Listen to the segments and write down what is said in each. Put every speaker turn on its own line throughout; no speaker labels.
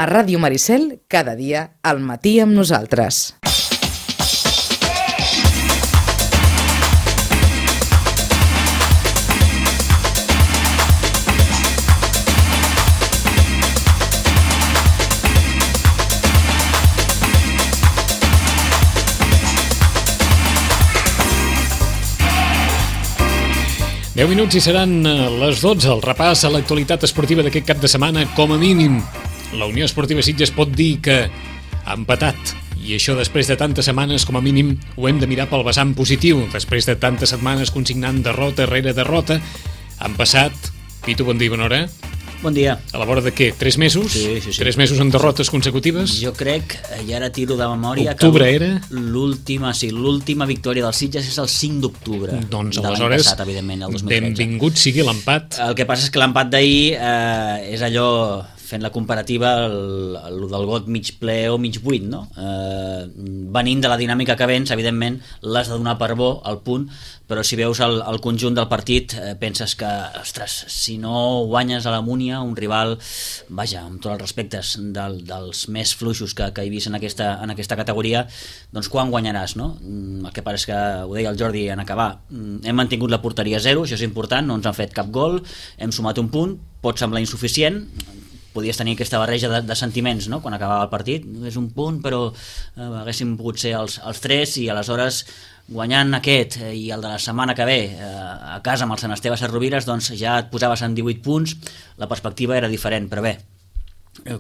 A Ràdio Maricel, cada dia, al matí amb nosaltres.
Deu minuts i seran les 12, el repàs a l'actualitat esportiva d'aquest cap de setmana. Com a mínim, la Unió Esportiva Sitges pot dir que ha empatat, i això després de tantes setmanes, com a mínim, ho hem de mirar pel vessant positiu. Després de tantes setmanes consignant derrota rere derrota, han passat, Pitu, bon dia, bona hora.
Bon dia.
A la vora de què? 3 mesos?
Sí.
3 mesos en derrotes consecutives?
Jo crec, i ara tiro de memòria,
Octubre
que
era?
l'última victòria del Sitges és el 5 d'octubre
Doncs
de l'any
aleshores,
passat, evidentment, el 2013.
benvingut sigui l'empat.
El que passa és que l'empat d'ahir és allò, fent la comparativa, el del got mig ple o mig buit, no? Venint de la dinàmica que vens, evidentment, l'has de donar per bo al punt, però si veus el conjunt del partit, penses que, ostres, si no guanyes a la Múnia, un rival, vaja, amb tots els respectes, dels més fluixos que he vist en aquesta categoria, doncs quan guanyaràs, no? El que passa és que, ho deia el Jordi en acabar, hem mantingut la porteria a 0, això és important, no ens han fet cap gol, hem sumat un punt, pot semblar insuficient, podies tenir aquesta barreja de sentiments, no? Quan acabava el partit, és un punt, però haguéssim pogut ser els 3, i aleshores guanyant aquest i el de la setmana que ve a casa amb el Sant Esteve Sesrovires, doncs ja et posaves en 18 punts, la perspectiva era diferent, però bé,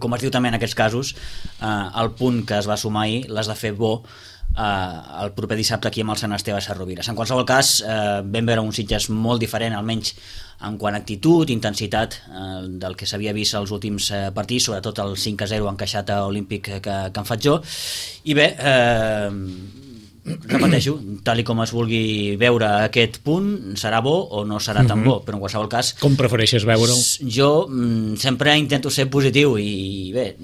com es diu també en aquests casos, el punt que es va sumar ahir l'has de fer bo el proper dissabte aquí amb el Sant Esteve Sesrovires. En qualsevol cas, vam veure un Sitges molt diferent, almenys en quant a actitud, intensitat del que s'havia vist als últims partits, sobretot el 5-0 encaixat a Olímpic que en faig jo, i bé, repeteixo, tal i com es vulgui veure aquest punt, serà bo o no serà tan bo, però en qualsevol cas,
com prefereixes veure'l?
Jo sempre intento ser positiu, i bé,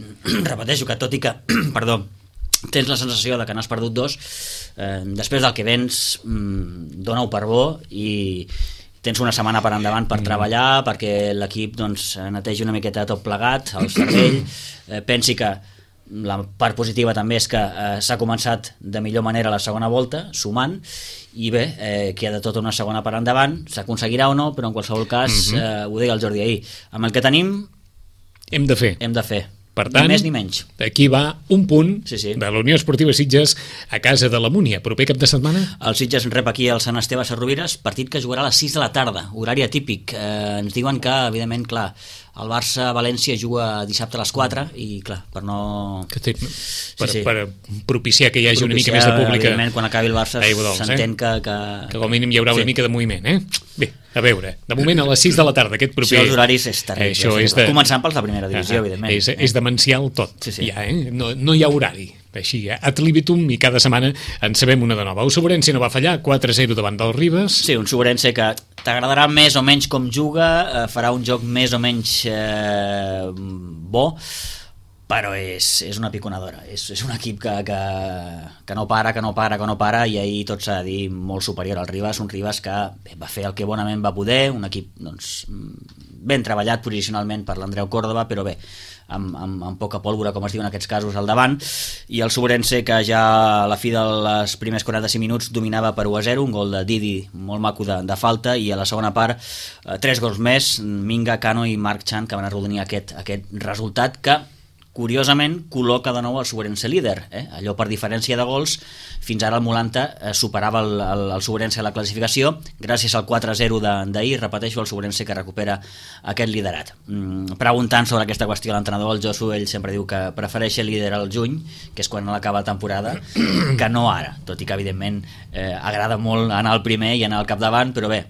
repeteixo que tot i que perdó, tens la sensació de que n'has perdut 2, després del que vens, dona-ho per bo i tens una setmana per endavant per treballar, perquè l'equip doncs, netegi una miqueta tot plegat, el cervell, pensi que la part positiva també és que s'ha començat de millor manera la segona volta, sumant, i bé, queda tota una segona per endavant, s'aconseguirà o no, però en qualsevol cas, ho deia el Jordi ahir, amb el que tenim
hem de fer. Per tant,
ni més ni menys.
Aquí va un punt
sí.
de la Unió Esportiva Sitges a casa de la Múnia. Proper cap de setmana?
El Sitges rep aquí el Sant Esteve Sesrovires, partit que jugarà a les 6 de la tarda, horari atípic. Ens diuen que, evidentment, clar, el Barça-València juga dissabte a les 4 i, clar, per no...
Per propiciar que hi hagi una mica més de públic.
Evidentment, quan acabi el Barça s'entén que
com a mínim hi haurà una mica de moviment, Bé, a veure, de moment a les 6 de la tarda, aquest proper...
Sí, els horaris és terrible. Començant pels de primera divisió, evidentment.
És demencial tot. Ja, no hi ha horari. Així, ad libitum, i cada setmana en sabem una de nova. El Sobrense no va fallar, 4-0 davant del Ribes.
Sí, un Sobrense que t'agradarà més o menys com juga, farà un joc més o menys bo, però és una piconadora, és un equip que no para, i ahir tot s'ha de dir molt superior al Ribes, un Ribes que va fer el que bonament va poder, un equip doncs, ben treballat posicionalment per l'Andreu Córdoba, però bé, amb poca pólvora, com es diu en aquests casos, al davant, i el Sobrense que ja a la fi dels primers 45 minuts dominava per 1-0, un gol de Didi molt maco de falta, i a la segona part 3 gols més, Minga, Cano i Marc Chan, que van arrodonir aquest resultat que curiosament col·loca de nou el Sobrense líder, allò per diferència de gols. Fins ara el Molanta superava el Sobrense a la classificació, gràcies al 4-0 d'ahir, repeteixo, el Sobrense que recupera aquest liderat. Preguntant sobre aquesta qüestió a l'entrenador, el Josu, ell sempre diu que prefereix el líder al juny, que és quan acaba la temporada, que no ara, tot i que evidentment agrada molt anar al primer i anar al capdavant, però bé,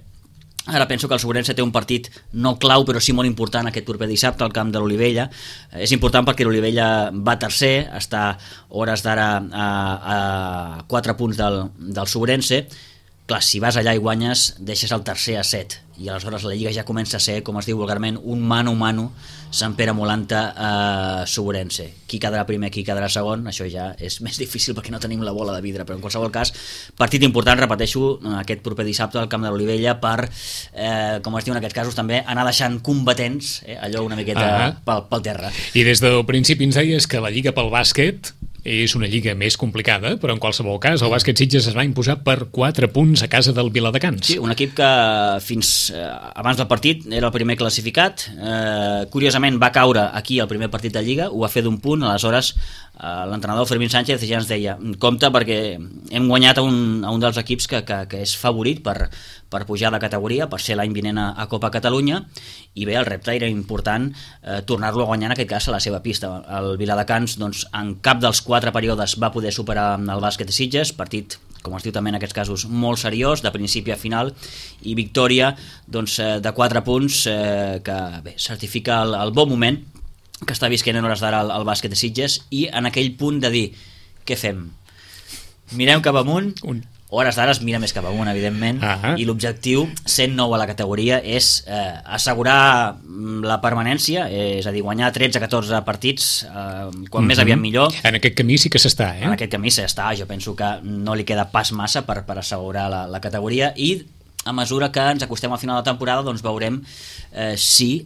ara penso que el Sobrense té un partit no clau, però sí molt important aquest proper dissabte al camp de l'Olivella. És important perquè l'Olivella va tercer, està hores d'ara a 4 punts del Sobrense, clar, si vas allà i guanyes, deixes el tercer a 7, i aleshores la Lliga ja comença a ser, com es diu vulgarment, un mano-mano Sant Pere Molanta Soborense. Qui quedarà primer, qui quedarà segon, això ja és més difícil perquè no tenim la bola de vidre, però en qualsevol cas, partit important, repeteixo, aquest proper dissabte al Camp de l'Olivella per, com es diu en aquests casos també, anar deixant combatents, allò una miqueta pel terra.
I des del principi ens deies que la Lliga pel bàsquet és una lliga més complicada, però en qualsevol cas el bàsquet Sitges es va imposar per 4 punts a casa del Viladecans.
Sí, un equip que fins abans del partit era el primer classificat, curiosament va caure aquí el primer partit de Lliga, ho va fer d'un punt, aleshores l'entrenador Fermín Sánchez ja ens deia compte perquè hem guanyat a un dels equips que és favorit per pujar de categoria, per ser l'any vinent a Copa Catalunya, i bé, el repte era important tornar-lo a guanyar en aquest cas a la seva pista. El Viladecans doncs, en cap dels 4 períodes va poder superar el bàsquet de Sitges, partit com es diu també en aquests casos, molt seriós, de principi a final, i victòria doncs, de 4 punts que bé, certifica el bon moment que està visquent en hores d'ara el bàsquet de Sitges, i en aquell punt de dir, què fem? Mirem cap amunt, hores d'ara es mira més cap amunt, evidentment, i l'objectiu, sent nou a la categoria, és assegurar la permanència, és a dir, guanyar 13-14 partits, quan més aviat millor.
En aquest camí sí que s'està,
En aquest camí s'està, jo penso que no li queda pas massa per assegurar la categoria, i a mesura que ens acostem al final de la temporada doncs veurem si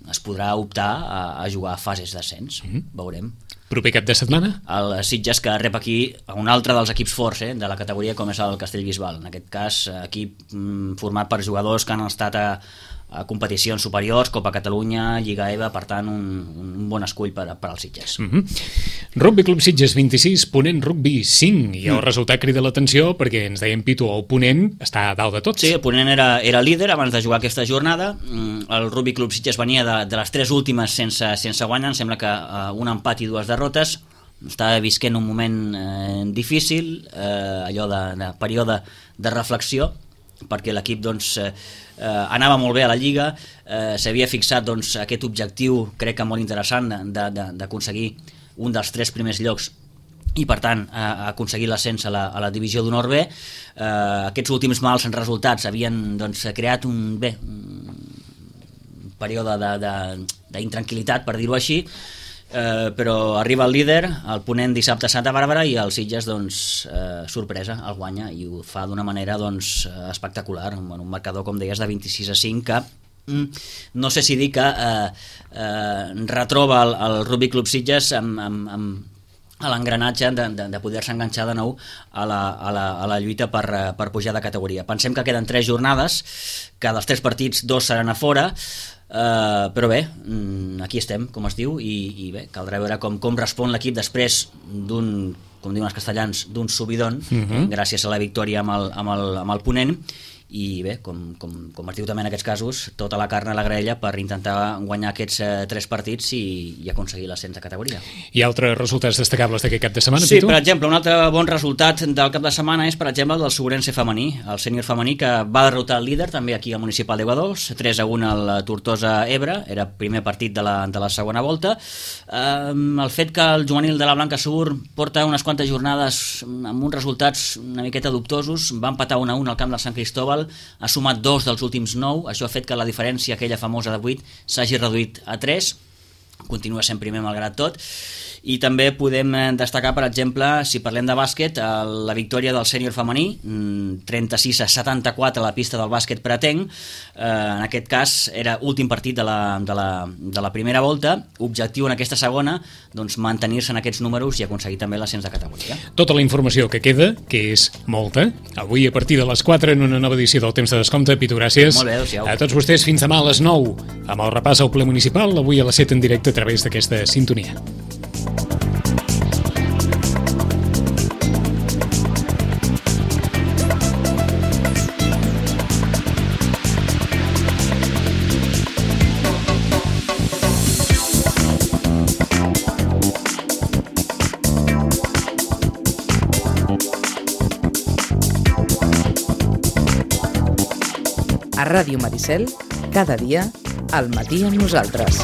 es podrà optar a jugar a fases d'ascens, veurem.
Proper cap de setmana?
El Sitges, que rep aquí un altre dels equips forts de la categoria, com és el Castellbisbal. En aquest cas, equip format per jugadors que han estat a competicions superiors, Copa Catalunya, Lliga EVA, per tant, un bon escull per als Sitges.
Rugby Club Sitges 26, Ponent Rugby 5, i el resultat crida l'atenció perquè ens deien, Pitu, el Ponent està a dalt de tots.
Sí, el Ponent era líder abans de jugar aquesta jornada. El Rugby Club Sitges venia de les 3 últimes sense guanyar, em sembla que un empat i 2 derrotes. Estava visquent un moment difícil, allò de període de reflexió, perquè l'equip doncs, anava molt bé a la Lliga, s'havia fixat doncs, aquest objectiu, crec que molt interessant, d'aconseguir un dels 3 primers llocs i per tant aconseguir l'ascens a la divisió d'honor B. Aquests últims mals resultats havien doncs, creat un període d'intranquil·litat, per dir-ho així, però arriba el líder, el Ponent dissabte a Santa Bàrbara, i el Sitges doncs, sorpresa, el guanya, i ho fa d'una manera doncs, espectacular, un marcador, com deies, de 26-5, que no sé si dir que retroba el Rugby Club Sitges a l'engranatge de poder-se enganxar de nou a la lluita per pujar de categoria. Pensem que queden 3 jornades, que dels 3 partits 2 seran a fora, però bé, aquí estem, com es diu, i bé, caldrà veure com respon l'equip després d'un, com diuen els castellans, d'un subidon, gràcies a la victòria amb el Ponent, i bé, com es diu també en aquests casos, tota la carn a la graella per intentar guanyar aquests 3 partits i aconseguir l'ascens de categoria.
I altres resultats destacables d'aquest cap de setmana,
Sí,
Pitu?
per exemple, un altre bon resultat del cap de setmana és, per exemple, el del Soborense femení, el sènior femení, que va derrotar el líder també aquí al Municipal d'Aiguadols, 3-1 al Tortosa Ebre, era el primer partit de la segona volta. El fet que el juvenil de la Blanca Segur porta unes quantes jornades amb uns resultats una miqueta dubtosos, va empatar 1-1 al camp del Sant Cristóbal, ha sumat 2 dels últims 9, això ha fet que la diferència aquella famosa de 8 s'hagi reduït a 3, continua sent primer malgrat tot. I també podem destacar, per exemple, si parlem de bàsquet, la victòria del sènior femení, 36-74 a la pista del bàsquet pretenc. En aquest cas era últim partit de la primera volta, objectiu en aquesta segona, doncs mantenir-se en aquests números i aconseguir també l'ascens de categoria.
Tota la informació que queda, que és molta, avui a partir de les 4 en una nova edició del Temps de Descompte. Pitu, gràcies.
Molt bé, adéu-siau.
A tots vostès, fins demà a les 9, amb el repàs al ple municipal, avui a les 7 en directe a través d'aquesta sintonia.
A Ràdio Maricel, cada dia, al matí amb nosaltres.